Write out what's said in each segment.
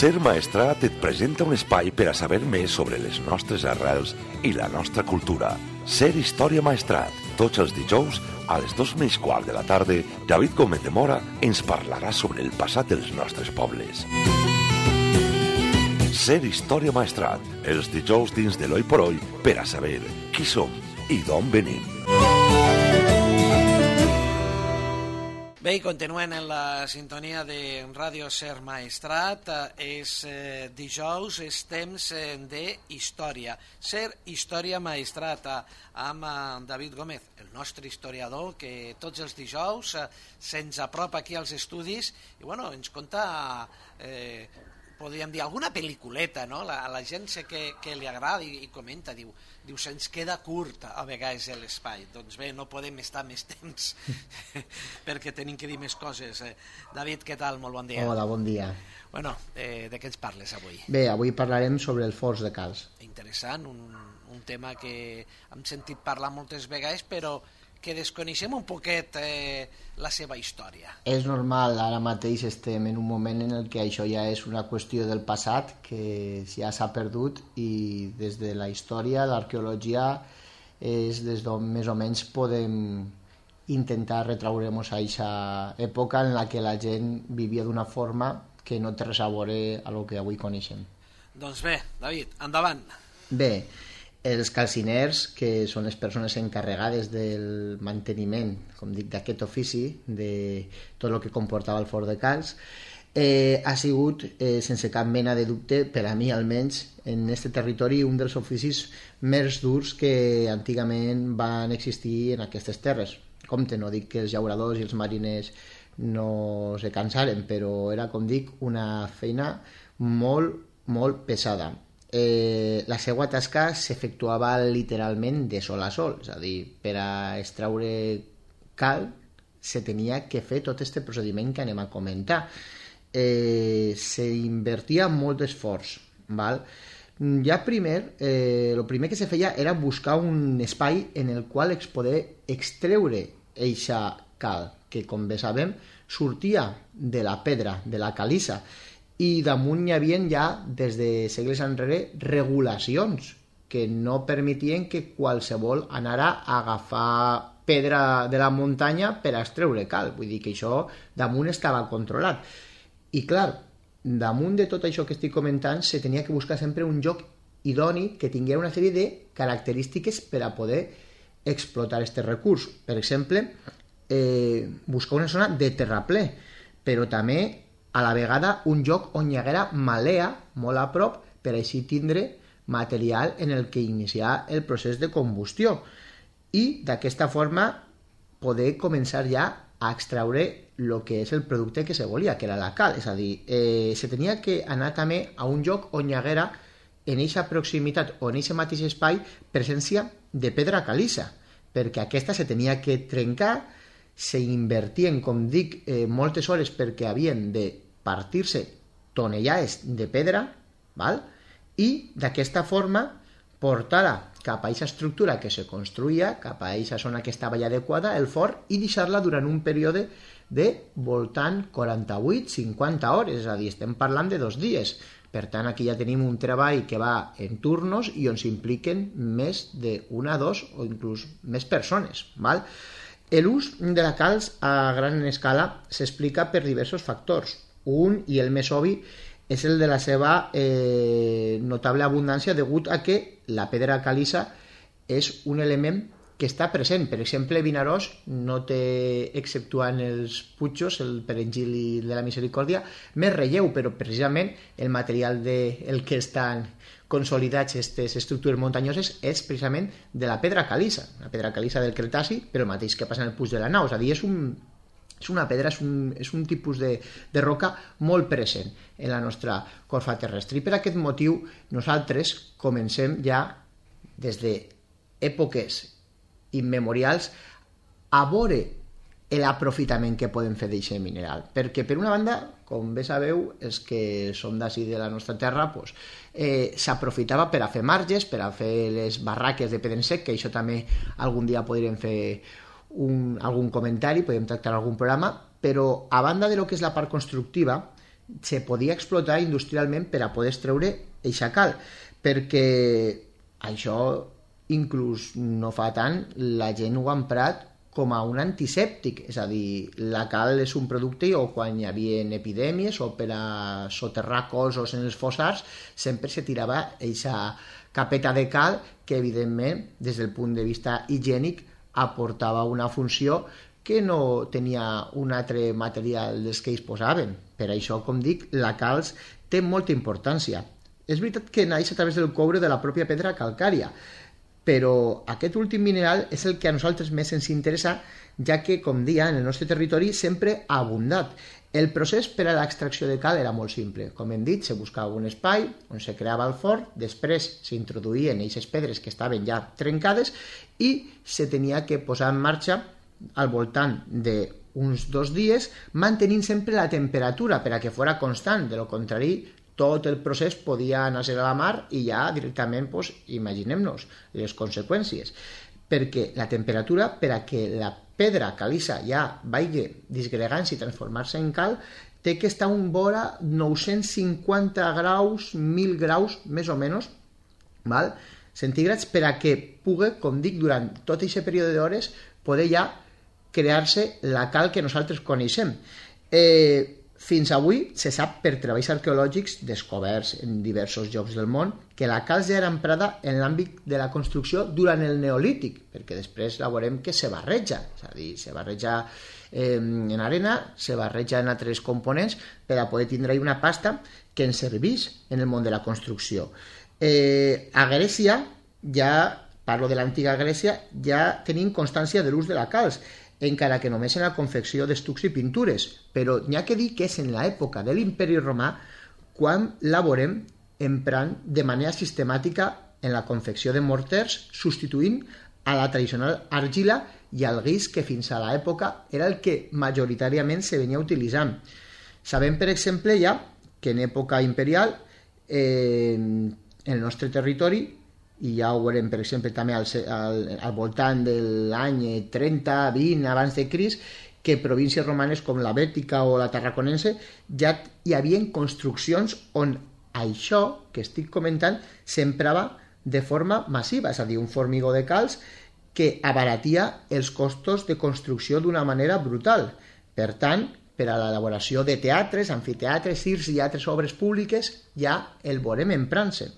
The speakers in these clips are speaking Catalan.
Ser Maestrat et presenta un espai per a saber més sobre les nostres arrels i la nostra cultura. Ser Història Maestrat. Tots els dijous, a les 2:15 de la tarda, David Gómez de Mora ens parlarà sobre el passat dels nostres pobles. Ser Història Maestrat. Els dijous dins de l'Oi por Oi per a saber qui som i d'on venim. Bé, i continuen en la sintonia de Ràdio Ser Maestrat. És dijous, és temps d'història. Ser Història Maestrat amb David Gómez, el nostre historiador, que tots els dijous se'ns apropa aquí als estudis i ens conta, podríem dir, alguna pel·lículeta, no? A la gent sé que li agrada i comenta, diu, se'ns queda curt a vegades l'espai. Doncs bé, no podem estar més temps perquè tenim que dir més coses. David, què tal? Molt bon dia. Hola, bon dia. De què ens parles avui? Bé, avui parlarem sobre el Forns de Calç. Interessant, un tema que hem sentit parlar moltes vegades, però que desconeixem un poquet la seva història. És normal, ara mateix estem en un moment en el que això ja és una qüestió del passat, que ja s'ha perdut, i des de la història, l'arqueologia, és des d'on més o menys podem intentar retraure-nos a aquesta època en la que la gent vivia d'una forma que no té res a veure a lo que avui coneixem. Doncs bé, David, endavant. Bé, els calciners, que són les persones encarregades del manteniment, com dic, d'aquest ofici, de tot el que comportava el Forn de Calç, ha sigut, sense cap mena de dubte, per a mi almenys, en aquest territori, un dels oficis més durs que antigament van existir en aquestes terres. Compte, no dic que els llauradors i els mariners no se cansaren, però era, com dic, una feina molt, molt pesada. La seva tasca s'efectuava literalment de sol a sol, és a dir, per a extraure cal se tenia que fer tot aquest procediment que anem a comentar. S'invertia molt d'esforç, val? Ja el primer que se feia era buscar un espai en el qual es poder extreure eixa cal, que, com bé sabem, sortia de la pedra, de la calissa, i damunt hi havia ja, des de segles enrere, regulacions que no permetien que qualsevol anara a agafar pedra de la muntanya per a extreure cal. Vull dir que això damunt estava controlat. I clar, damunt de tot això que estic comentant, se tenia que buscar sempre un lloc idoni que tingués una sèrie de característiques per a poder explotar aquest recurs. Per exemple, buscar una zona de terraplè, però també a la vegada un lloc on hi haguera malea molt a prop per així tindre material en el que iniciar el procés de combustió i d'aquesta forma poder començar ja a extraure el que és el producte que se volia, que era la cal. És a dir, se tenia que anar també a un lloc on hi haguera en eixa proximitat o en eixe mateix espai presència de pedra calissa, perquè aquesta se tenia que trencar, se invertien, com dic, moltes hores perquè havien de partir-se tonellades de pedra, val? I d'aquesta forma portar-la cap a aquesta estructura que se construïa, cap a aquesta zona que estava ja adequada, el forn, i deixar-la durant un període de voltant 48-50 hores, és a dir, estem parlant de 2 dies. Per tant, aquí ja tenim un treball que va en turnos i on s'impliquen més d'una, 2 o inclús més persones, val? L'ús de la calç a gran escala s'explica per diversos factors. Un, i el més obvi, és el de la seva notable abundància degut a que la pedra calissa és un element que està present. Per exemple, Vinaròs no té, exceptuant els Puigos, el Perengil i de la Misericòrdia, més relleu, però precisament el material del que estan consolidats aquestes estructures muntanyoses és precisament de la pedra calissa, la pedra calissa del Cretaci, però el mateix que passa en el Puig de la Nau. És a dir, és una pedra, és un tipus de roca molt present en la nostra corfa terrestre. I per aquest motiu nosaltres comencem ja des d'èpoques immemorials a veure l'aprofitament que podem fer d'aquest mineral. Perquè, per una banda, com bé sabeu, els que som d'ací de la nostra terra, s'aprofitava per a fer marges, per a fer les barraques de pedra en sec, que això també algun dia podríem fer algun comentari, podem tractar algun programa, però a banda de lo que és la part constructiva, se podia explotar industrialment per a poder extreure eixa cal, perquè això inclús no fa tant la gent ho ha emprat com a un antisèptic, és a dir, la cal és un producte o quan hi havia epidèmies o per a soterrar cossos en els fossars sempre se tirava eixa capeta de cal que evidentment des del punt de vista higiènic aportava una funció que no tenia un altre material dels que ells posaven. Per això, com dic, la calç té molta importància. És veritat que naix a través del coure de la pròpia pedra calcària, però aquest últim mineral és el que a nosaltres més ens interessa, ja que, com dia, en el nostre territori sempre ha abundat. El procés per a l'extracció de cal era molt simple. Com hem dit, se buscava un espai on se creava el forn, després s'introduïen aquestes pedres que estaven ja trencades i se tenia que posar en marxa al voltant d'uns 2 dies, mantenint sempre la temperatura per a que fora constant. De lo contrari, tot el procés podia anar-se a la mar i ja directament, imaginem-nos les conseqüències. Perquè la temperatura, per a que la pedra caliza ja vagi disgregant-se i transformar-se en cal, té que estar un vora 950 graus, 1.000 graus, més o menys, centígrads, per a que pugui, com dic, durant tot aquest període d'hores, poder ja crear-se la cal que nosaltres coneixem. Fins avui se sap per treballs arqueològics descoberts en diversos llocs del món que la calç ja era emprada en l'àmbit de la construcció durant el Neolític, perquè després la veurem que se barreja, és a dir, se barreja en arena, se barreja en altres components per a poder tindre una pasta que ens serveix en el món de la construcció. A Grècia, ja parlo de l'antiga Grècia, ja tenim constància de l'ús de la calç, encara que només en la confecció d'estucs i pintures, però n'hi ha que dir que és en l'època de l'imperi romà quan la veurem emprant de manera sistemàtica en la confecció de morters, substituint a la tradicional argila i al guix que fins a l'època era el que majoritàriament se venia utilitzant. Sabem, per exemple, ja que en època imperial en el nostre territori, i ja ho veurem, per exemple, també al voltant de l'any 30-20 abans de Crist, que províncies romanes com la Bètica o la Tarraconense ja hi havia construccions on això que estic comentant s'emprava de forma massiva, és a dir, un formigó de calç que abaratia els costos de construcció d'una manera brutal. Per tant, per a l'elaboració de teatres, amfiteatres, circs i altres obres públiques ja el veurem emprant-se.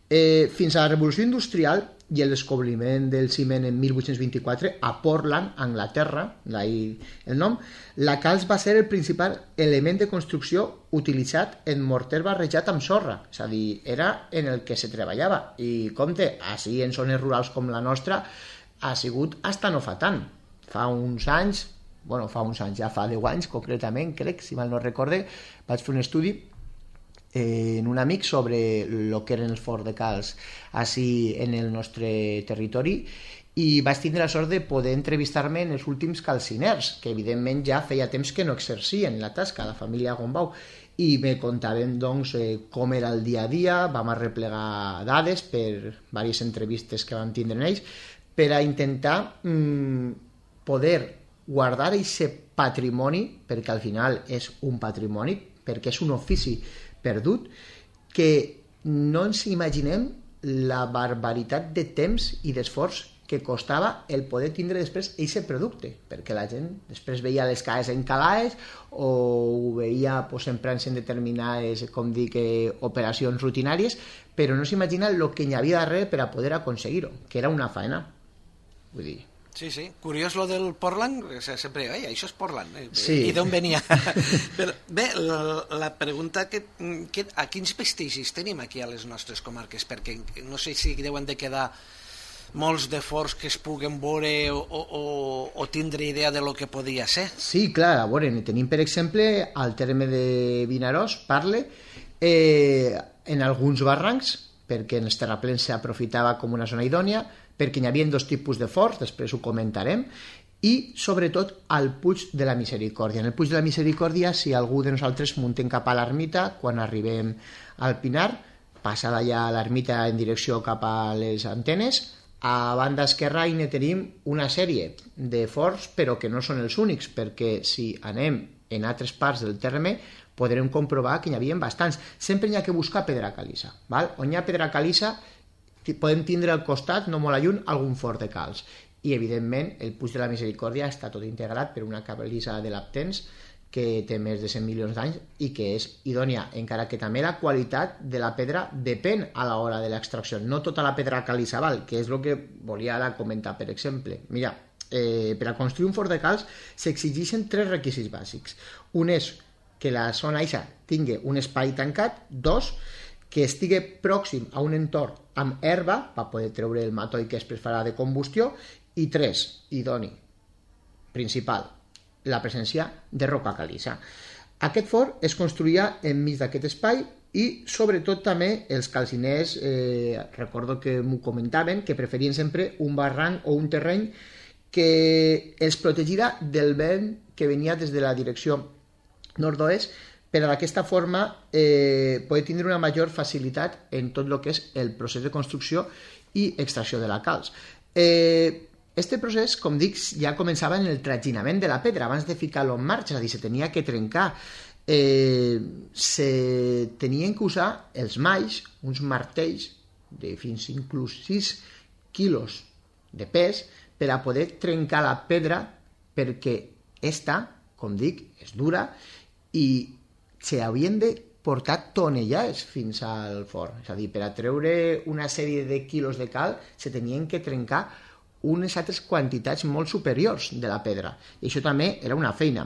Fins a la Revolució Industrial i el descobriment del ciment en 1824 a Portland, Anglaterra, d'ahir el nom, la calç va ser el principal element de construcció utilitzat en morter barrejat amb sorra, és a dir, era en el que se treballava. I compte, així en zones rurals com la nostra ha sigut hasta no fa tant. Fa uns anys, ja fa 10 anys concretament, crec, si mal no recorde, vaig fer un estudi en un amic sobre el que eren els forns de calç així en el nostre territori i vaig tindre la sort de poder entrevistar-me en els últims calciners, que evidentment ja feia temps que no exercien la tasca, la família Gombau, i me contaven doncs com era el dia a dia. Vam arreplegar dades per diverses entrevistes que vam tindre en ells per a intentar poder guardar aquest patrimoni, perquè al final és un patrimoni, perquè és un ofici perdut, que no ens imaginem la barbaritat de temps i d'esforç que costava el poder tindre després aquest producte, perquè la gent després veia les cases encalades o ho veia emprant-se en determinades, com dic, operacions rutinàries, però no s'imagina el que hi havia darrere per a poder aconseguir-ho, que era una faena. Vull dir... Sí, curiós lo del Portland, sempre, això és Portland, sí. I d'on venia? Però, bé, la pregunta a quins vestigis tenim aquí a les nostres comarques, perquè no sé si deuen de quedar molts de forns que es puguen veure o tindre idea de lo que podia ser. Sí, clar, a veure, tenim per exemple al terme de Vinaròs, Parle, en alguns barrancs, perquè en els terraplens s'aprofitava com una zona idònia, perquè hi havia 2 tipus de forns, després ho comentarem, i sobretot al Puig de la Misericòrdia. En el Puig de la Misericòrdia, si algú de nosaltres muntem cap a l'ermita, quan arribem al Pinar, passa d'allà a l'ermita en direcció cap a les antenes, a banda esquerra hi tenim una sèrie de forns, però que no són els únics, perquè si anem en altres parts del terme podrem comprovar que n'hi havia bastants. Sempre n'hi ha que buscar pedra caliça. Val? On hi ha pedra caliça podem tindre al costat, no molt lluny, algun fort de calç. I, evidentment, el Puig de la Misericòrdia està tot integrat per una caliça de Laptens que té més de 100 milions d'anys i que és idònia, encara que també la qualitat de la pedra depèn a l'hora de l'extracció. No tota la pedra caliça val, que és el que volia ara comentar, per exemple. Mira, per a construir un fort de calç s'exigeixen 3 requisits bàsics. Un és que la zona eixa tingui un espai tancat. 2, que estigui pròxim a un entorn amb herba per poder treure el matoll que després farà de combustió. I 3, idoni, principal, la presència de roca caliça. Aquest fort es construïa enmig d'aquest espai i sobretot també els calciners, recordo que m'ho comentaven, que preferien sempre un barranc o un terreny que els protegirà del vent que venia des de la direcció nord-oest, per d'aquesta forma poder tindre una major facilitat en tot el que és el procés de construcció i extracció de la calç. Este procés, com dic, ja començava en el traginament de la pedra, abans de ficar-lo en marxa, és a dir, se tenia que trencar. Se tenien que usar els malls, uns martells de fins inclús 6 quilos de pes, per a poder trencar la pedra, perquè esta, com dic, és dura i s'havien de portar tonellades fins al forn. És a dir, per a treure una sèrie de quilos de cal se tenien que trencar unes altres quantitats molt superiors de la pedra. I això també era una feina.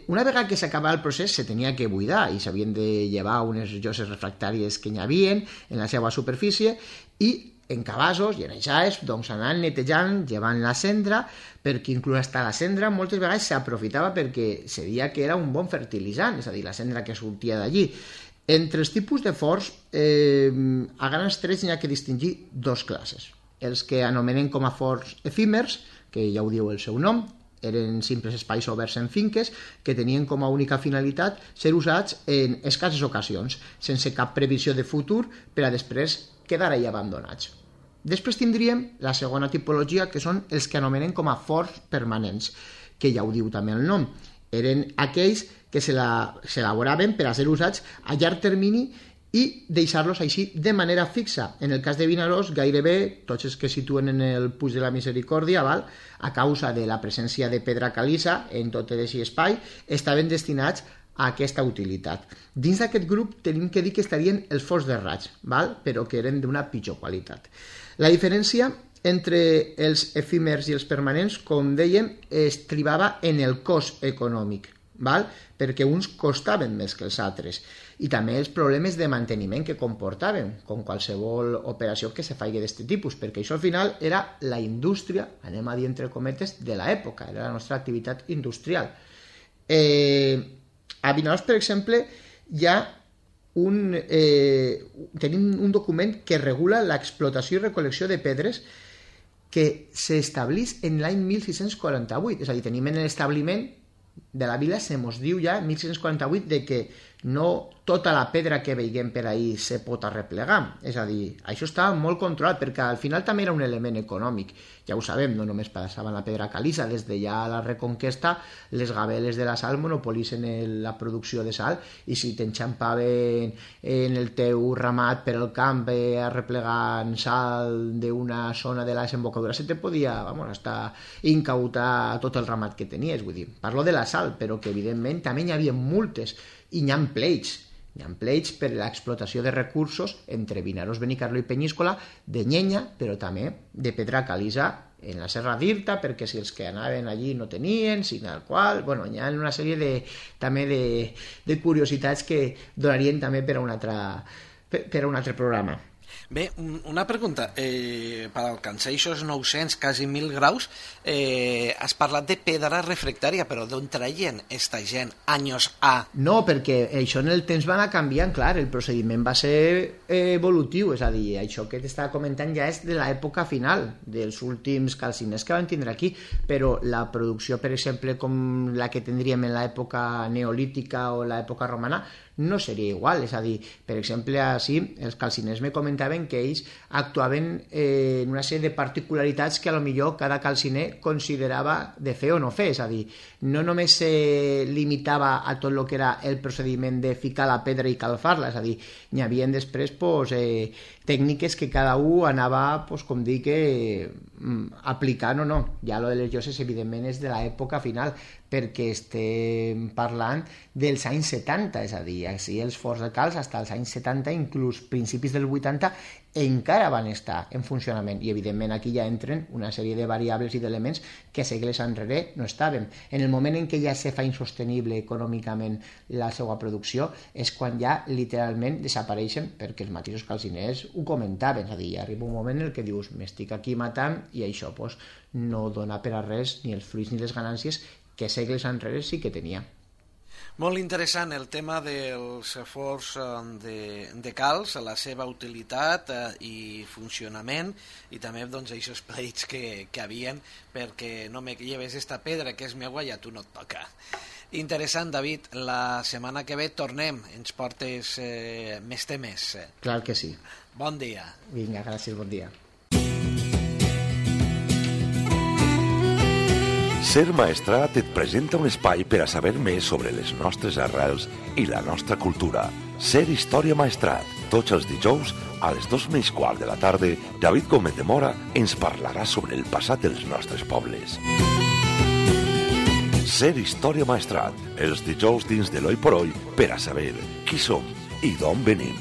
Una vegada que s'acabava el procés se tenia que buidar i s'havien de llevar unes lloses refractàries que n'hi havia en la seva superfície i en cabassos i en aixades doncs anaven netejant, llevant la cendra, perquè inclús hasta la cendra moltes vegades s'aprofitava perquè se deia que era un bon fertilitzant, és a dir, la cendra que sortia d'allí. Entre els tipus de forts, a grans trets n'hi ha que distingir 2 classes. Els que anomenen com a forts efímers, que ja ho diu el seu nom, eren simples espais oberts en finques que tenien com a única finalitat ser usats en escasses ocasions, sense cap previsió de futur per a després quedar ahí abandonats. Després tindríem la segona tipologia, que són els que anomenen com a forts permanents, que ja ho diu també el nom. Eren aquells que s'elaboraven per a ser usats a llarg termini i deixar-los així de manera fixa. En el cas de Vinaròs, gairebé tots els que situen en el Puig de la Misericòrdia, a causa de la presència de pedra caliça en tot aquest espai, estaven destinats a aquesta utilitat. Dins d'aquest grup tenim que dir que estarien els forts de raig, però que eren d'una pitjor qualitat. La diferència entre els efímers i els permanents, com dèiem, es tribava en el cost econòmic, perquè uns costaven més que els altres, i també els problemes de manteniment que comportaven, com qualsevol operació que se faci d'aquest tipus, perquè això al final era la indústria, anem a dir entre cometes, de l'època, era la nostra activitat industrial. A Vinaròs, per exemple, tenim un document que regula l'explotació i recol·lecció de pedres que s'establís en l'any 1648, és a dir, tenim en l'establiment de la vila, se mos diu ja en 1648 de que no tota la pedra que veiem per ahí se pot arreplegar, és a dir, això estava molt controlat perquè al final també era un element econòmic, ja ho sabem, no només passaven la pedra caliça, des de ja la Reconquesta les gabeles de la sal monopolitzen la producció de sal i si t'enxampaven en el teu ramat per al camp arreplegant sal d'una zona de la desembocadura se te podia hasta incautar tot el ramat que tenies, vull dir, parlo de la sal, però que evidentment també hi havia multes i hi ha pleits per l'explotació de recursos entre Vinaròs, Benicarló i Penyíscola de llenya, però també de pedra caliça en la Serra d'Irta, perquè si els que anaven allí no tenien, sin el qual, hi ha una sèrie també de curiositats que donarien també per a un altre programa. Bé, una pregunta, per alcançar aquests 900, quasi 1.000 graus, has parlat de pedra refractària, però d'on traien esta gent anys A? No, perquè això en el temps va anar canviant, clar, el procediment va ser evolutiu, és a dir, això que t'estava comentant ja és de l'època final, dels últims calciners que van tindre aquí, però la producció, per exemple, com la que tindríem en l'època neolítica o l'època romana, no seria igual, és a dir, per exemple, així, els calciners me comentaven comentaven que ells actuaven en una sèrie de particularitats que a lo millor cada calciner considerava de fer o no fer, és a dir, no només se limitava a tot el que era el procediment de ficar la pedra i calfar-la, és a dir, n'hi havia després tècniques que cada un anava, com dic, aplicant o no. Ja lo de les lloses, evidentment, és de l'època final, perquè estem parlant dels anys 70, és a dir, així els forns de calç fins als anys 70, inclús principis del 80, encara van estar en funcionament, i evidentment aquí ja entren una sèrie de variables i d'elements que segles enrere no estàvem. En el moment en què ja se fa insostenible econòmicament la seva producció és quan ja literalment desapareixen, perquè els mateixos calciners ho comentaven, és a dir, ja arriba un moment en què dius m'estic aquí matant i això no dona per a res ni els fruits ni les ganàncies que segles enrere sí que tenia. Molt interessant el tema dels forns de calç, la seva utilitat i funcionament, i també aquests pleits que havien perquè no me lleves esta pedra que és meua i a tu no et toca. Interessant, David. La setmana que ve tornem. Ens portes més temes. Clar que sí. Bon dia. Vinga, gràcies, bon dia. Ser Maestrat et presenta un espai per a saber més sobre les nostres arrels i la nostra cultura. Ser Història Maestrat. Tots els dijous, a les 2:15 de la tarda, David Gómez de Mora ens parlarà sobre el passat dels nostres pobles. Ser Història Maestrat. Els dijous dins de l'Oi por Oi per a saber qui som i d'on venim.